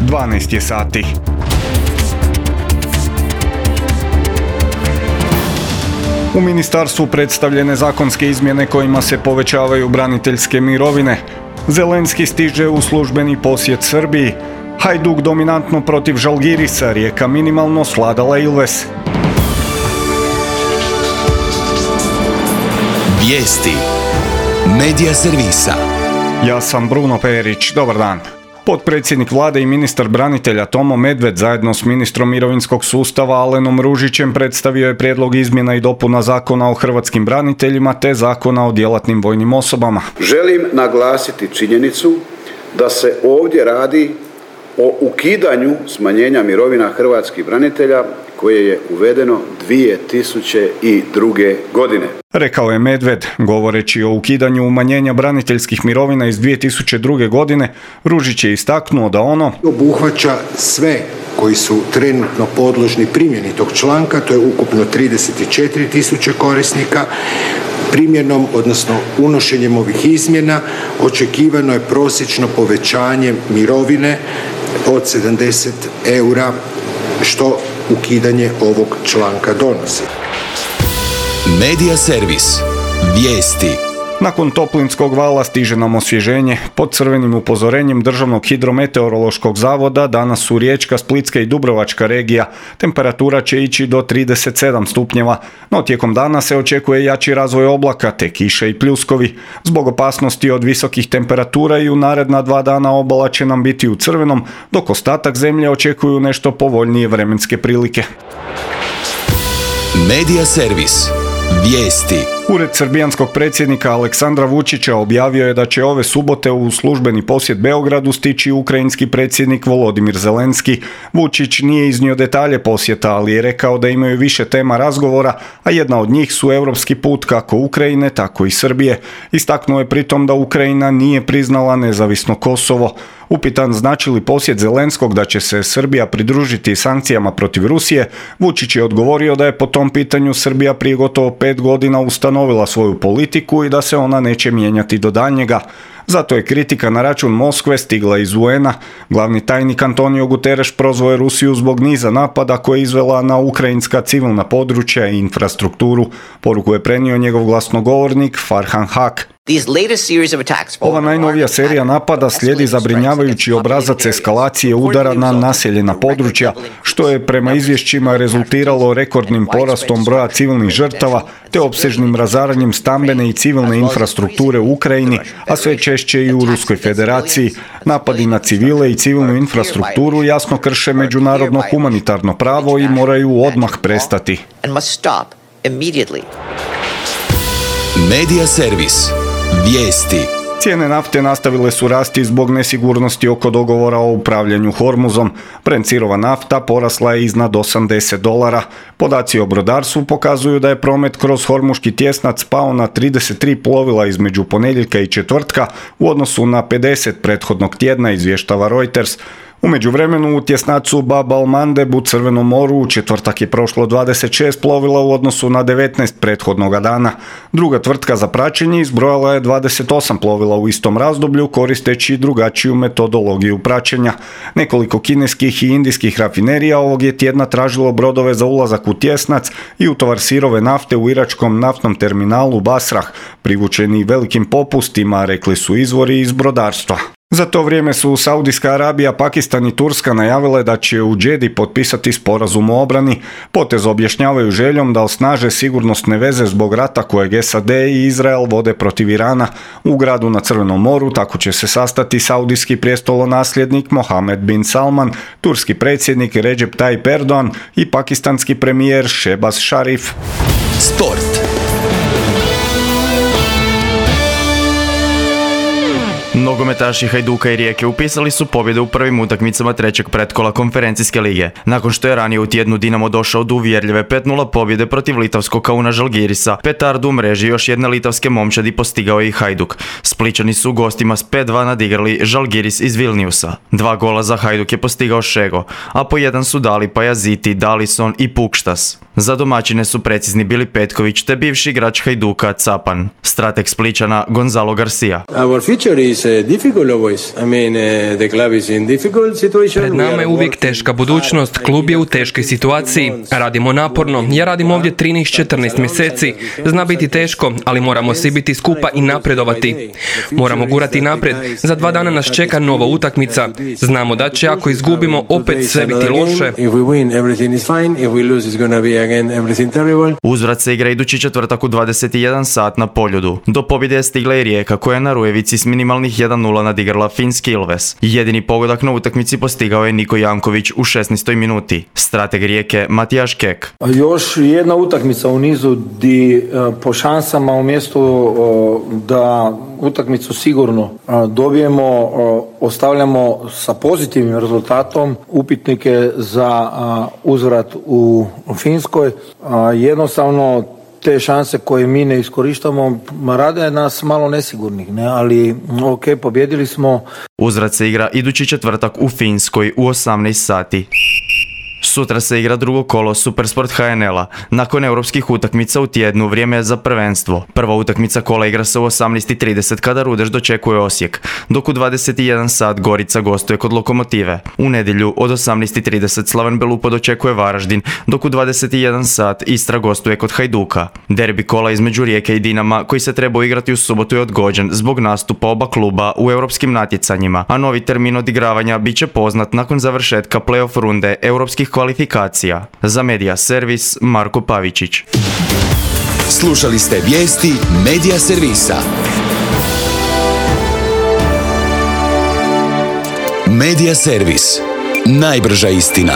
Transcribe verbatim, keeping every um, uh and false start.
dvanaest je sati. U ministarstvu predstavljene zakonske izmjene kojima se povećavaju braniteljske mirovine. Zelenski stiže u službeni posjet Srbiji. Hajduk dominantno protiv Žalgirisa, Rijeka minimalno svladala Ilves. Vijesti Medija servisa. Ja sam Bruno Perić, dobar dan. Potpredsjednik vlade i ministar branitelja Tomo Medved zajedno s ministrom mirovinskog sustava Alenom Ružićem predstavio je prijedlog izmjena i dopuna Zakona o hrvatskim braniteljima te Zakona o djelatnim vojnim osobama. Želim naglasiti činjenicu da se ovdje radi o ukidanju smanjenja mirovina hrvatskih branitelja koje je uvedeno dvije tisuće druge. godine. Rekao je Medved, govoreći o ukidanju umanjenja braniteljskih mirovina iz dvije tisuće druge. godine, Ružić je istaknuo da ono obuhvaća sve koji su trenutno podložni primjeni tog članka, to je ukupno trideset četiri tisuće korisnika. Primjenom, odnosno unošenjem ovih izmjena, očekivano je prosječno povećanje mirovine od sedamdeset eura, što ukidanje ovog članka donosi. Medija servis. Vijesti. Nakon toplinskog vala stiže nam osvježenje. Pod crvenim upozorenjem Državnog hidrometeorološkog zavoda danas su Riječka, Splitska i Dubrovačka regija. Temperatura će ići do trideset sedam stupnjeva, no tijekom dana se očekuje jači razvoj oblaka te kiše i pljuskovi. Zbog opasnosti od visokih temperatura i u naredna dva dana obala će nam biti u crvenom, dok ostatak zemlje očekuju nešto povoljnije vremenske prilike. Medija servis. Vijesti. Ured srbijanskog predsjednika Aleksandra Vučića objavio je da će ove subote u službeni posjet Beogradu stići ukrajinski predsjednik Volodimir Zelenski. Vučić nije iznio detalje posjeta, ali je rekao da imaju više tema razgovora, a jedna od njih su europski put kako Ukrajine, tako i Srbije. Istaknuo je pritom da Ukrajina nije priznala nezavisno Kosovo. Upitan znači li posjet Zelenskog da će se Srbija pridružiti sankcijama protiv Rusije, Vučić je odgovorio da je po tom pitanju Srbija prije gotovo pet godina ustanovila svoju politiku i da se ona neće mijenjati do daljnjega. Zato je kritika na račun Moskve stigla iz U N-a. Glavni tajnik Antonio Guterres prozvao je Rusiju zbog niza napada koje je izvela na ukrajinska civilna područja i infrastrukturu. Poruku je prenio njegov glasnogovornik Farhan Haq. Ova najnovija serija napada slijedi zabrinjavajući obrazac eskalacije udara na naseljena područja, što je prema izvješćima rezultiralo rekordnim porastom broja civilnih žrtava te opsežnim razaranjem stambene i civilne infrastrukture u Ukrajini, a sve češće i u Ruskoj federaciji. Napadi na civile i civilnu infrastrukturu jasno krše međunarodno humanitarno pravo i moraju odmah prestati. Medija servis. Vijesti. Cijene nafte nastavile su rasti zbog nesigurnosti oko dogovora o upravljanju Hormuzom. Brent sirova nafta porasla je iznad osamdeset dolara. Podaci o brodarstvu pokazuju da je promet kroz Hormuški tjesnac pao na trideset tri plovila između ponedjeljka i četvrtka u odnosu na pedeset prethodnog tjedna, izvještava Reuters. U međuvremenu u tjesnacu Bab al-Mandeb u Crvenom moru u četvrtak je prošlo dvadeset šest plovila u odnosu na devetnaest prethodnoga dana. Druga tvrtka za praćenje izbrojala je dvadeset osam plovila u istom razdoblju koristeći drugačiju metodologiju praćenja. Nekoliko kineskih i indijskih rafinerija ovog je tjedna tražilo brodove za ulazak u tjesnac i utovar sirove nafte u iračkom naftnom terminalu Basrah, privučeni velikim popustima, rekli su izvori iz brodarstva. Za to vrijeme su Saudijska Arabija, Pakistan i Turska najavile da će u Džedi potpisati sporazum o obrani. Potez objašnjavaju željom da osnaže sigurnosne veze zbog rata kojeg S A D i Izrael vode protiv Irana. U gradu na Crvenom moru tako će se sastati saudijski prijestolonasljednik Mohamed bin Salman, turski predsjednik Recep Tayyip Erdogan i pakistanski premijer Shehbaz Sharif. Sport. Nogometaši Hajduka i Rijeke upisali su pobjede u prvim utakmicama trećeg pretkola konferencijske lige. Nakon što je ranije u tjednu Dinamo došao do uvjerljive pet nula pobjede protiv litavskog Kauna Žalgirisa, petardu u mreži još jedne litavske momčadi postigao je i Hajduk. Splićani su gostima s pet dva nadigrali Žalgiris iz Vilniusa. Dva gola za Hajduk je postigao Šego, a po jedan su dali Pajaziti, Dalison i Pukštas. Za domaćine su precizni bili Petković te bivši igrač Hajduka Capan. Strateg Splićana Gonzalo Garcia. Our future is Pred nama je uvijek teška budućnost, klub je u teškoj situaciji, radimo naporno, ja radim ovdje trinaest četrnaest mjeseci, zna biti teško, ali moramo svi biti skupa i napredovati. Moramo gurati naprijed, za dva dana nas čeka nova utakmica, znamo da će ako izgubimo opet sve biti loše. Uzvrat se igra idući četvrtak u dvadeset jedan sat na Poljudu. Do pobjede je stigla i Rijeka koja je na Rujevici s minimalnih jedan nula nadigrala finski Ilves. Jedini pogodak na utakmici postigao je Niko Janković u šesnaestoj minuti. Strateg Rijeke Matijaš Kek. Još jedna utakmica u nizu di po šansama umjesto da utakmicu sigurno dobijemo, ostavljamo sa pozitivnim rezultatom upitnike za uzvrat u Finskoj. Jednostavno te šanse koje mi ne iskorištamo rade nas malo nesigurnih, ne? Ali ok, pobjedili smo. Uzvrat se igra idući četvrtak u Finskoj u osamnaest sati. Sutra se igra drugo kolo Supersport H N L-a. Nakon europskih utakmica u tjednu vrijeme je za prvenstvo. Prva utakmica kola igra se u osamnaest i trideset kada Rudeš dočekuje Osijek, dok u dvadeset jedan sat Gorica gostuje kod Lokomotive. U nedjelju od osamnaest i trideset Slaven Belupo dočekuje Varaždin, dok u dvadeset jedan sat Istra gostuje kod Hajduka. Derbi kola između Rijeke i Dinama, koji se trebao igrati u subotu, je odgođen zbog nastupa oba kluba u europskim natjecanjima, a novi termin odigravanja bit će poznat nakon završetka play-off runde europskih kvalifikacija. Za Medija Servis, Marko Pavičić. Slušali ste vijesti Medija Servisa. Medija Servis. Najbrža istina.